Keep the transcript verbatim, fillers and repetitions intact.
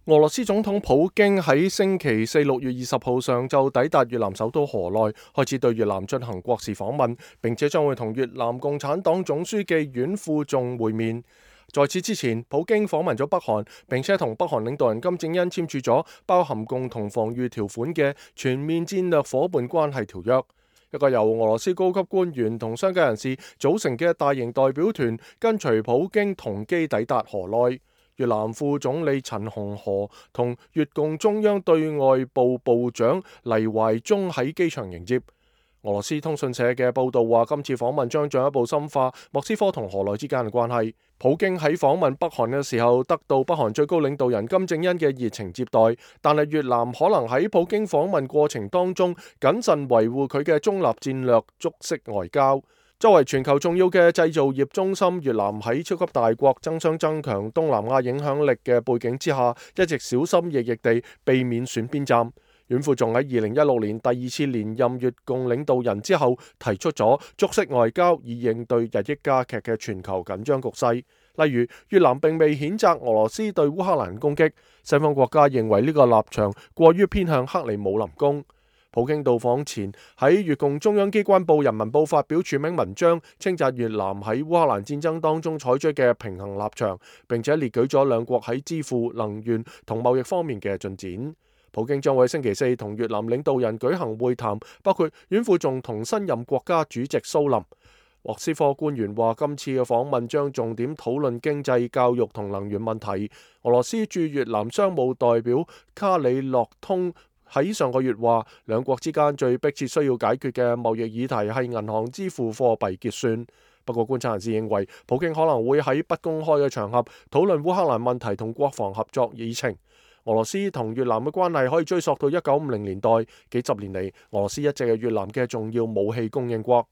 俄羅斯總統普京喺星期四六月二十號上晝抵達越南首都河內，開始對越南進行國事訪問，並且將會同越南共產黨總書記阮富仲會面。在此之前，普京訪問咗北韓，並且同北韓領導人金正恩簽署咗包含共同防禦條款嘅全面戰略夥伴關係條約。一個由俄羅斯高級官員同商界人士組成嘅大型代表團，跟隨普京同機抵達河內。越南副總理陳洪河同越共中央對外部部長黎懷忠喺機場迎接。俄羅斯通訊社嘅報道話，今次訪問將進一步深化莫斯科同河內之間嘅關係。普京喺訪問北韓嘅時候，得到北韓最高領導人金正恩嘅熱情接待，但係越南可能喺普京訪問過程當中謹慎維護佢嘅中立戰略，觸式外交。作為全球重要嘅製造業中心，越南喺超級大國爭相增強東南亞影響力嘅背景之下，一直小心翼翼地避免選邊站。阮富仲喺二零一六年第二次連任越共領導人之後，提出咗觸式外交以應對日益加劇嘅全球緊張局勢。例如，越南並未譴責俄羅斯對烏克蘭攻擊，西方國家認為呢個立場過於偏向克里姆林宮。普京到訪前喺越共中央機關報《人民報》發表署名文章，稱讚越南喺烏克蘭戰爭當中採取嘅平衡立場，並且列舉咗兩國喺支付、能源同貿易方面嘅進展。普京將會星期四同越南領導人舉行會談，包括阮富仲同新任國家主席蘇林。莫斯科官員話，今次嘅訪問將重點討論經濟、教育同能源問題。俄羅斯駐越南商務代表卡里洛通喺上個月話，兩國之間最迫切需要解決嘅貿易議題係銀行支付貨幣結算。不過觀察人士認為，普京可能會喺不公開嘅場合討論烏克蘭問題同國防合作議程。俄羅斯同越南嘅關係可以追溯到一九五零年代，幾十年嚟，俄羅斯一直係越南嘅重要武器供應國。